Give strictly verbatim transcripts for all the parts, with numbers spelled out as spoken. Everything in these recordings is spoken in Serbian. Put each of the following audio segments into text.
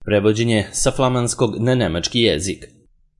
prevođenje sa flamanskog na nemački jezik.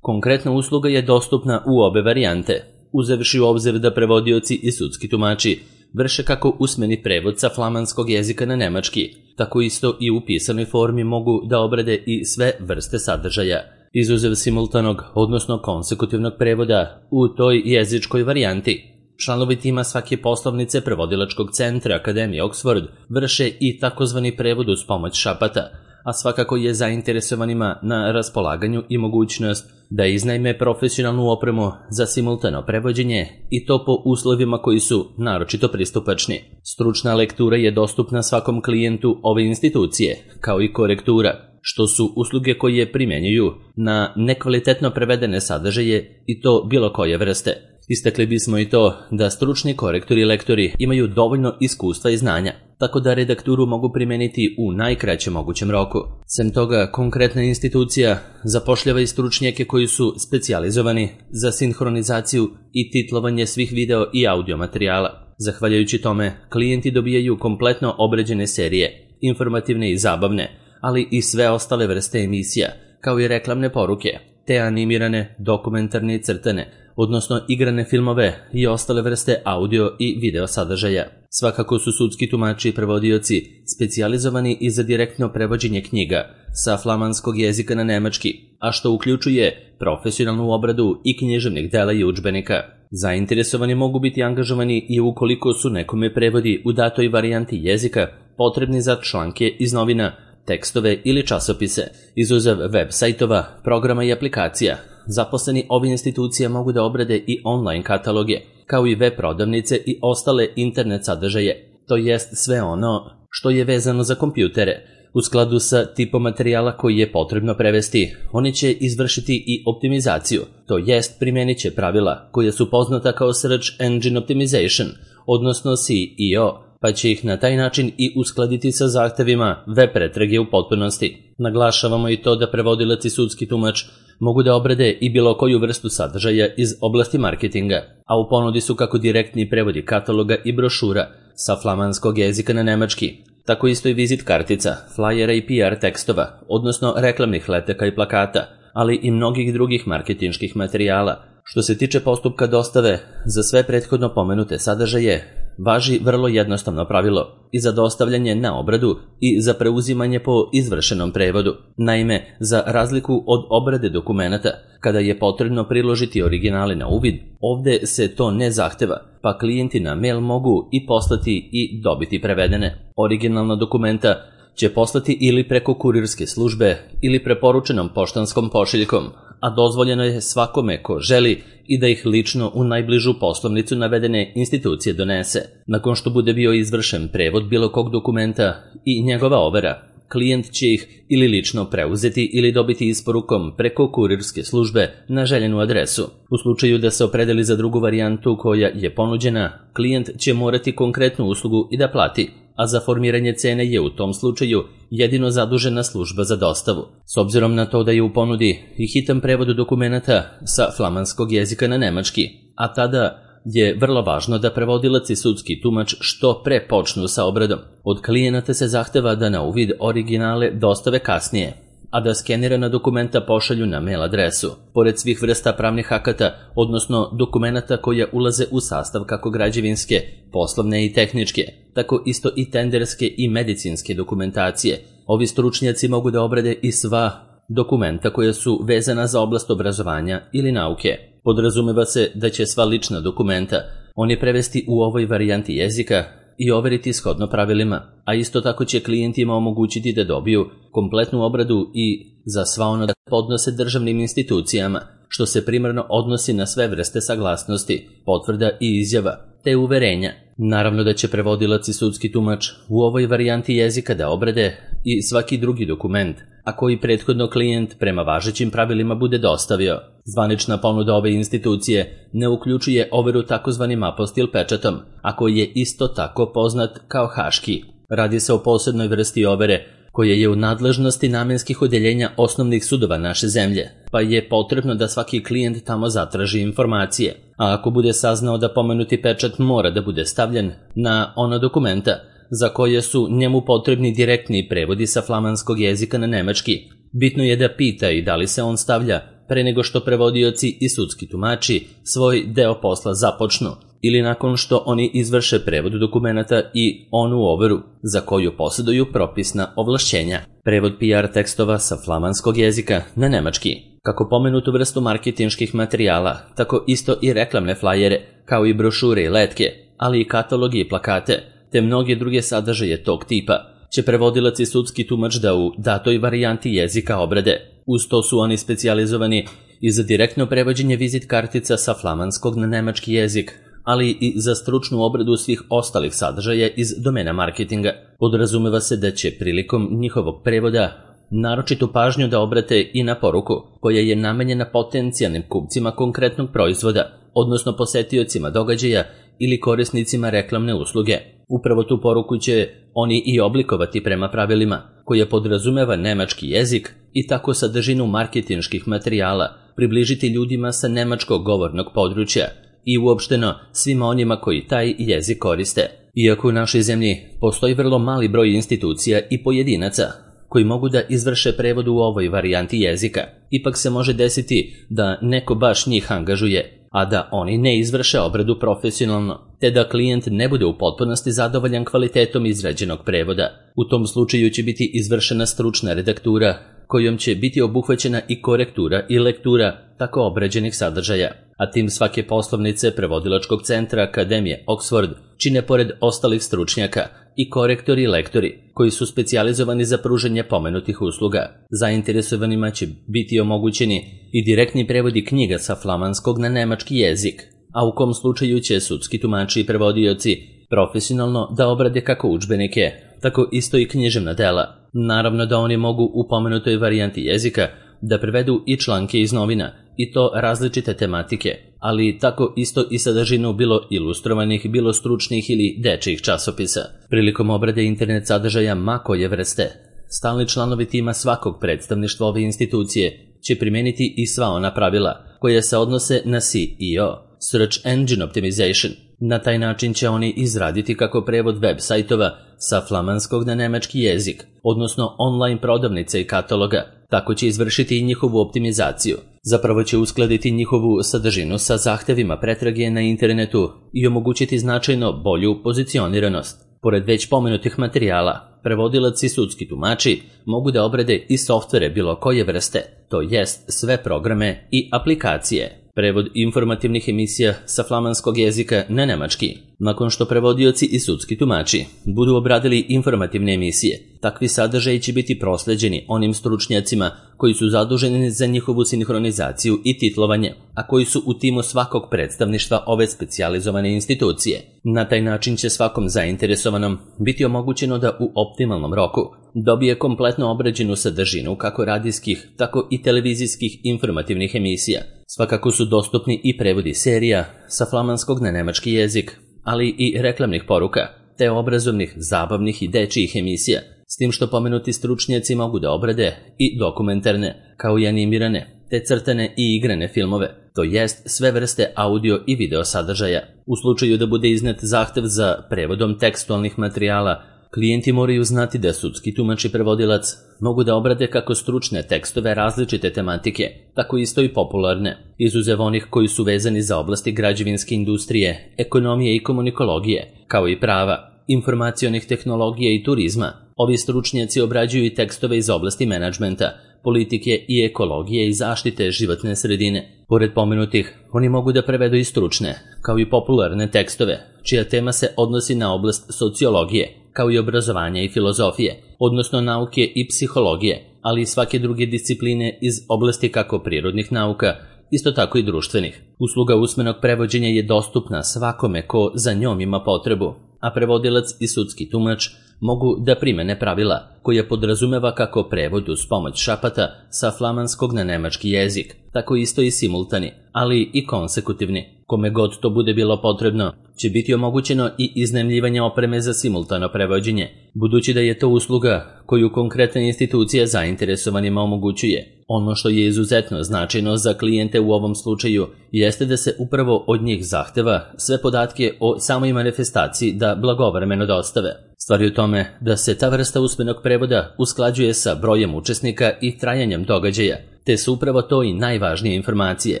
Konkretna usluga je dostupna u obe varijante, uzevši u obzir da prevodioci i sudski tumači vrše kako usmeni prevod sa flamanskog jezika na nemački, tako isto i u pisanoj formi mogu da obrade i sve vrste sadržaja, izuzev simultanog, odnosno konsekutivnog prevoda u toj jezičkoj varijanti. Članovi tima svake poslovnice prevodilačkog centra Akademije Oxford vrše i takozvani prevod uz pomoć šapata, a svakako je zainteresovanima na raspolaganju i mogućnost da iznajme profesionalnu opremu za simultano prevođenje i to po uslovima koji su naročito pristupačni. Stručna lektura je dostupna svakom klijentu ove institucije, kao i korektura, što su usluge koje primenjuju na nekvalitetno prevedene sadržaje i to bilo koje vrste. Istakli bismo i to da stručni korektori i lektori imaju dovoljno iskustva i znanja, tako da redakturu mogu primeniti u najkraćem mogućem roku. Sem toga, konkretna institucija zapošljava i stručnjake koji su specijalizovani za sinhronizaciju i titlovanje svih video i audio materijala. Zahvaljujući tome, klijenti dobijaju kompletno obrađene serije, informativne i zabavne, ali i sve ostale vrste emisija, kao i reklamne poruke, te animirane, dokumentarne i crtane, odnosno igrane filmove i ostale vrste audio i video sadržaja. Svakako su sudski tumači i prevodioci specijalizovani i za direktno prevođenje knjiga sa flamanskog jezika na nemački, a što uključuje profesionalnu obradu i književnih dela i udžbenika. Zainteresovani mogu biti angažovani i ukoliko su nekome prevodi u datoj varijanti jezika potrebni za članke iz novina, tekstove ili časopise, izuzev web sajtova, programa i aplikacija. Zaposleni ove institucije mogu da obrade i online kataloge, kao i web prodavnice i ostale internet sadržaje, to jest sve ono što je vezano za kompjutere. U skladu sa tipom materijala koji je potrebno prevesti, oni će izvršiti i optimizaciju, to jest primenit će pravila koja su poznata kao Search Engine Optimization, odnosno S E O, pa će ih na taj način i uskladiti sa zahtevima web pretrage u potpunosti. Naglašavamo i to da prevodilac i sudski tumač mogu da obrade i bilo koju vrstu sadržaja iz oblasti marketinga, a u ponudi su kako direktni prevodi kataloga i brošura sa flamanskog jezika na nemački, tako isto i vizit kartica, flajera i P R tekstova, odnosno reklamnih letaka i plakata, ali i mnogih drugih marketinških materijala. Što se tiče postupka dostave, za sve prethodno pomenute sadržaje važi vrlo jednostavno pravilo i za dostavljanje na obradu i za preuzimanje po izvršenom prevodu. Naime, za razliku od obrade dokumenata, kada je potrebno priložiti originale na uvid, ovde se to ne zahteva, pa klijenti na mail mogu i poslati i dobiti prevedene. Originalna dokumenta će poslati ili preko kurirske službe ili preporučenom poštanskom pošiljkom, a dozvoljeno je svakome ko želi i da ih lično u najbližu poslovnicu navedene institucije donese. Nakon što bude bio izvršen prevod bilo kog dokumenta i njegova overa, klijent će ih ili lično preuzeti ili dobiti isporukom preko kurirske službe na željenu adresu. U slučaju da se opredeli za drugu varijantu koja je ponuđena, klijent će morati konkretnu uslugu i da plati, a za formiranje cene je u tom slučaju jedino zadužena služba za dostavu. S obzirom na to da je u ponudi i hitan prevod dokumenata sa flamanskog jezika na nemački, a tada je vrlo važno da prevodilac i sudski tumač što pre počnu sa obradom. Od klijenata se zahteva da na uvid originale dostave kasnije, a da skenirana dokumenta pošalju na mail adresu. Pored svih vrsta pravnih akata, odnosno dokumenata koja ulaze u sastav kako građevinske, poslovne i tehničke, tako isto i tenderske i medicinske dokumentacije, ovi stručnjaci mogu da obrade i sva dokumenta koja su vezana za oblast obrazovanja ili nauke. Podrazumeva se da će sva lična dokumenta oni prevesti u ovoj varijanti jezika i overiti shodno pravilima, a isto tako će klijentima omogućiti da dobiju kompletnu obradu i za sva ono da podnose državnim institucijama, što se primarno odnosi na sve vrste saglasnosti, potvrda i izjava, te uverenja. Naravno da će prevodilac i sudski tumač u ovoj varijanti jezika da obrade i svaki drugi dokument, a koji prethodno klijent prema važećim pravilima bude dostavio. Zvanična ponuda ove institucije ne uključuje overu takozvanim apostil pečatom, a koji je isto tako poznat kao haški. Radi se o posebnoj vrsti overe koja je u nadležnosti namenskih odeljenja osnovnih sudova naše zemlje, pa je potrebno da svaki klijent tamo zatraži informacije. A ako bude saznao da pomenuti pečat mora da bude stavljen na ona dokumenta, za koje su njemu potrebni direktni prevodi sa flamanskog jezika na nemački. Bitno je da pita i da li se on stavlja pre nego što prevodioci i sudski tumači svoj deo posla započnu ili nakon što oni izvrše prevod dokumenata i onu overu za koju posjeduju propisna ovlašćenja. Prevod P R tekstova sa flamanskog jezika na nemački. Kako pomenutu vrstu marketinških materijala, tako isto i reklamne flajere, kao i brošure i letke, ali i katalogi i plakate, te mnoge druge sadržaje tog tipa, će prevodilac i sudski tumač da u datoj varijanti jezika obrade. Uz to su oni specijalizovani i za direktno prevođenje vizit kartica sa flamanskog na nemački jezik, ali i za stručnu obradu svih ostalih sadržaja iz domena marketinga. Podrazumeva se da će prilikom njihovog prevoda naročitu pažnju da obrate i na poruku koja je namenjena potencijalnim kupcima konkretnog proizvoda, odnosno posetiocima događaja ili korisnicima reklamne usluge. Upravo tu poruku će oni i oblikovati prema pravilima koje podrazumeva nemački jezik i tako sadržinu marketinških materijala približiti ljudima sa nemačkog govornog područja i uopšteno svima onima koji taj jezik koriste. Iako u našoj zemlji postoji vrlo mali broj institucija i pojedinaca koji mogu da izvrše prevod u ovoj varijanti jezika, ipak se može desiti da neko baš njih angažuje, a da oni ne izvrše obradu profesionalno, te da klijent ne bude u potpunosti zadovoljan kvalitetom izrađenog prevoda. U tom slučaju će biti izvršena stručna redaktura, kojom će biti obuhvaćena i korektura i lektura tako obrađenih sadržaja, a tim svake poslovnice Prevodilačkog centra Akademije Oxford čine pored ostalih stručnjaka i korektori i lektori koji su specijalizovani za pružanje pomenutih usluga. Zainteresovanima će biti omogućeni i direktni prevodi knjiga sa flamanskog na nemački jezik, a u kom slučaju će sudski tumači i prevodioci profesionalno da obrade kako udžbenike, tako isto i književna dela. Naravno da oni mogu u pomenutoj varijanti jezika da prevedu i članke iz novina, i to različite tematike, ali tako isto i sadržinu bilo ilustrovanih, bilo stručnih ili dečjih časopisa. Prilikom obrade internet sadržaja ma koje vrste, stalni članovi tima svakog predstavništva ove institucije će primeniti i sva ona pravila koja se odnose na S E O, Search Engine Optimization. Na taj način će oni izraditi kako prevod web sajtova sa flamanskog na nemački jezik, odnosno online prodavnice i kataloga, tako će izvršiti i njihovu optimizaciju. Zapravo će uskladiti njihovu sadržinu sa zahtevima pretrage na internetu i omogućiti značajno bolju pozicioniranost. Pored već pomenutih materijala, prevodilac i sudski tumači mogu da obrade i softvere bilo koje vrste, to jest sve programe i aplikacije. Prevod informativnih emisija sa flamanskog jezika na nemački. Nakon što prevodioci i sudski tumači budu obradili informativne emisije, takvi sadržaji će biti prosleđeni onim stručnjacima koji su zaduženi za njihovu sinhronizaciju i titlovanje, a koji su u timu svakog predstavništva ove specijalizovane institucije. Na taj način će svakom zainteresovanom biti omogućeno da u optimalnom roku dobije kompletno obrađenu sadržinu kako radijskih, tako i televizijskih informativnih emisija. Svakako su dostupni i prevodi serija sa flamanskog na nemački jezik, ali i reklamnih poruka, te obrazovnih, zabavnih i dečijih emisija, s tim što pomenuti stručnjaci mogu da obrade i dokumentarne, kao i animirane, te crtane i igrane filmove, to jest sve vrste audio i video sadržaja. U slučaju da bude iznet zahtev za prevodom tekstualnih materijala, klijenti moraju znati da sudski tumač i prevodilac mogu da obrade kako stručne tekstove različite tematike, tako isto i popularne, izuzev onih koji su vezani za oblasti građevinske industrije, ekonomije i komunikologije, kao i prava, informacionih tehnologija i turizma. Ovi stručnjaci obrađuju i tekstove iz oblasti menadžmenta, politike i ekologije i zaštite životne sredine. Pored pomenutih, oni mogu da prevedu i stručne, kao i popularne tekstove, čija tema se odnosi na oblast sociologije, kao i obrazovanja i filozofije, odnosno nauke i psihologije, ali i svake druge discipline iz oblasti kako prirodnih nauka, isto tako i društvenih. Usluga usmenog prevođenja je dostupna svakome ko za njom ima potrebu, a prevodilac i sudski tumač mogu da primene pravila, koja podrazumeva kako prevod uz pomoć šapata sa flamanskog na nemački jezik, tako isto i simultani, ali i konsekutivni. Kome god to bude bilo potrebno, će biti omogućeno i iznajmljivanje opreme za simultano prevođenje, budući da je to usluga koju konkretna institucija zainteresovanima omogućuje. Ono što je izuzetno značajno za klijente u ovom slučaju jeste da se upravo od njih zahteva sve podatke o samoj manifestaciji da blagovremeno dostave. S Stvar je u tome da se ta vrsta usmenog prevoda usklađuje sa brojem učesnika i trajanjem događaja, te su upravo to i najvažnije informacije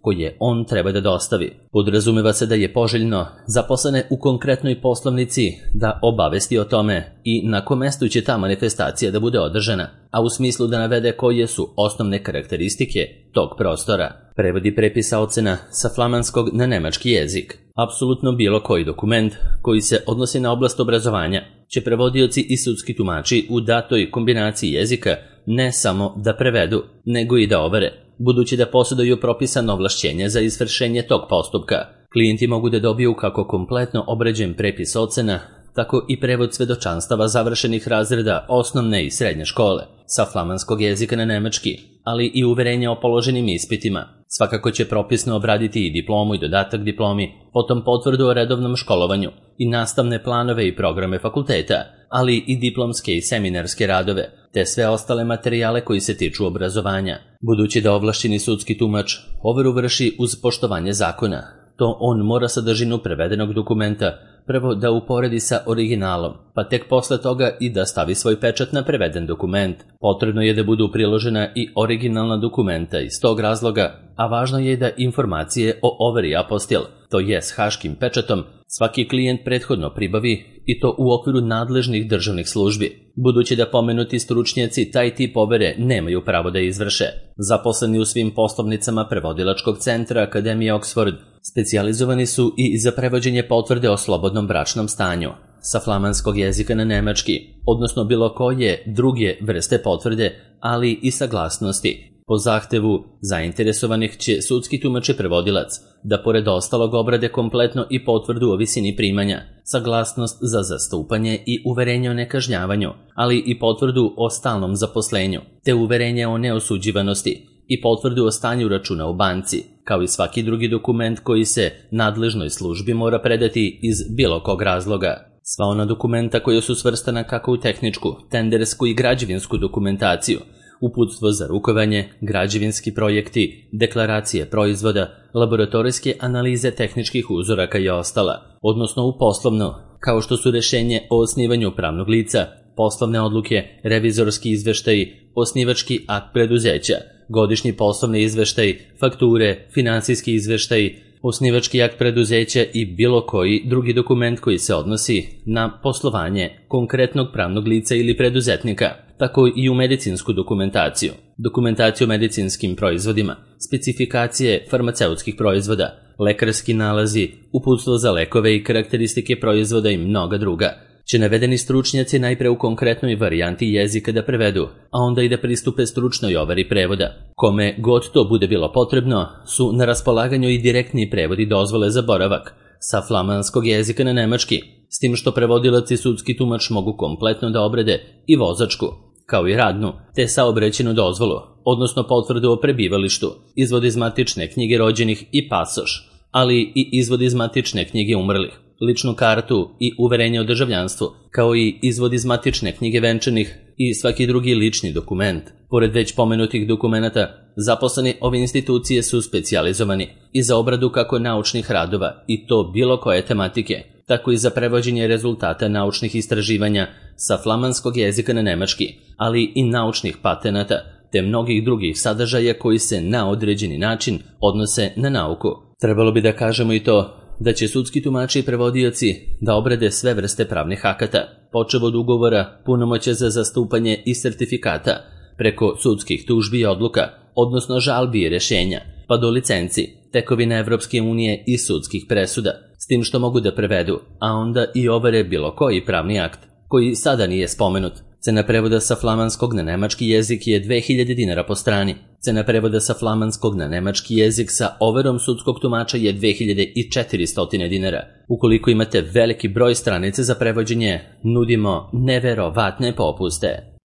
koje on treba da dostavi. Podrazumeva se da je poželjno zaposlene u konkretnoj poslovnici da obavesti o tome i na kom mestu će ta manifestacija da bude održana, a u smislu da navede koje su osnovne karakteristike tog prostora. Prevodi prepisa ocena sa flamanskog na nemački jezik. Apsolutno bilo koji dokument koji se odnosi na oblast obrazovanja će prevodioci i sudski tumači u datoj kombinaciji jezika ne samo da prevedu, nego i da overe, budući da posjeduju propisano ovlašćenje za izvršenje tog postupka. Klijenti mogu da dobiju kako kompletno obrađen prepis ocena, tako i prevod svedočanstava završenih razreda osnovne i srednje škole sa flamanskog jezika na nemački, ali i uverenje o položenim ispitima. Svakako će propisno obraditi i diplomu i dodatak diplomi, potom potvrdu o redovnom školovanju i nastavne planove i programe fakulteta, ali i diplomske i seminarske radove, te sve ostale materijale koji se tiču obrazovanja. Budući da ovlašćeni sudski tumač overu vrši uz poštovanje zakona, to on mora sadržinu prevedenog dokumenta prvo da uporedi sa originalom, pa tek posle toga i da stavi svoj pečat na preveden dokument. Potrebno je da budu priložena i originalna dokumenta iz tog razloga, a važno je da informacije o overi apostil, to je s haškim pečatom, svaki klijent prethodno pribavi i to u okviru nadležnih državnih službi, budući da pomenuti stručnjaci taj tip overe nemaju pravo da izvrše. Zaposleni u svim poslovnicama prevodilačkog centra Akademije Oxford specijalizovani su i za prevođenje potvrde o slobodnom bračnom stanju sa flamanskog jezika na nemački, odnosno bilo koje druge vrste potvrde, ali i saglasnosti. Po zahtevu zainteresovanih će sudski tumač i prevodilac da pored ostalog obrade kompletno i potvrdu o visini primanja, saglasnost za zastupanje i uverenje o nekažnjavanju, ali i potvrdu o stalnom zaposlenju, te uverenje o neosuđivanosti i potvrdu o stanju računa u banci, kao i svaki drugi dokument koji se nadležnoj službi mora predati iz bilo kog razloga. Sva ona dokumenta koja su svrstana kako u tehničku, tendersku i građevinsku dokumentaciju, uputstvo za rukovanje, građevinski projekti, deklaracije proizvoda, laboratorijske analize tehničkih uzoraka i ostala, odnosno u poslovno, kao što su rešenje o osnivanju pravnog lica, poslovne odluke, revizorski izveštaji, osnivački akt preduzeća, godišnji poslovni izveštaj, fakture, finansijski izveštaj, osnivački akt preduzeća i bilo koji drugi dokument koji se odnosi na poslovanje konkretnog pravnog lica ili preduzetnika, tako i u medicinsku dokumentaciju, dokumentaciju o medicinskim proizvodima, specifikacije farmaceutskih proizvoda, lekarski nalazi, uputstvo za lekove i karakteristike proizvoda i mnoga druga, će navedeni stručnjaci najpre u konkretnoj varijanti jezika da prevedu, a onda i da pristupe stručnoj overi prevoda. Kome god to bude bilo potrebno, su na raspolaganju i direktni prevodi dozvole za boravak sa flamanskog jezika na nemački, s tim što prevodilac i sudski tumač mogu kompletno da obrade i vozačku, kao i radnu, te saobraćajnu dozvolu, odnosno potvrdu o prebivalištu, izvod iz matične knjige rođenih i pasoš, ali i izvod iz matične knjige umrlih, ličnu kartu i uverenje o državljanstvu, kao i izvod iz matične knjige venčanih i svaki drugi lični dokument. Pored već pomenutih dokumenata, zaposleni ove institucije su specijalizovani i za obradu kako naučnih radova i to bilo koje tematike, tako i za prevođenje rezultata naučnih istraživanja sa flamanskog jezika na nemački, ali i naučnih patenata, te mnogih drugih sadržaja koji se na određeni način odnose na nauku. Trebalo bi da kažemo i to da će sudski tumači i prevodioci da obrade sve vrste pravnih akata, počev od ugovora, punomoćja za zastupanje i sertifikata, preko sudskih tužbi i odluka, odnosno žalbi i rešenja, pa do licenci, tekovina Evropske unije i sudskih presuda, s tim što mogu da prevedu, a onda i overe bilo koji pravni akt, koji sada nije spomenut. Cena prevoda sa flamanskog na nemački jezik je dve hiljade dinara po strani. Cena prevoda sa flamanskog na nemački jezik sa overom sudskog tumača je dve hiljade četiristo dinara. Ukoliko imate veliki broj stranice za prevođenje, nudimo neverovatne popuste.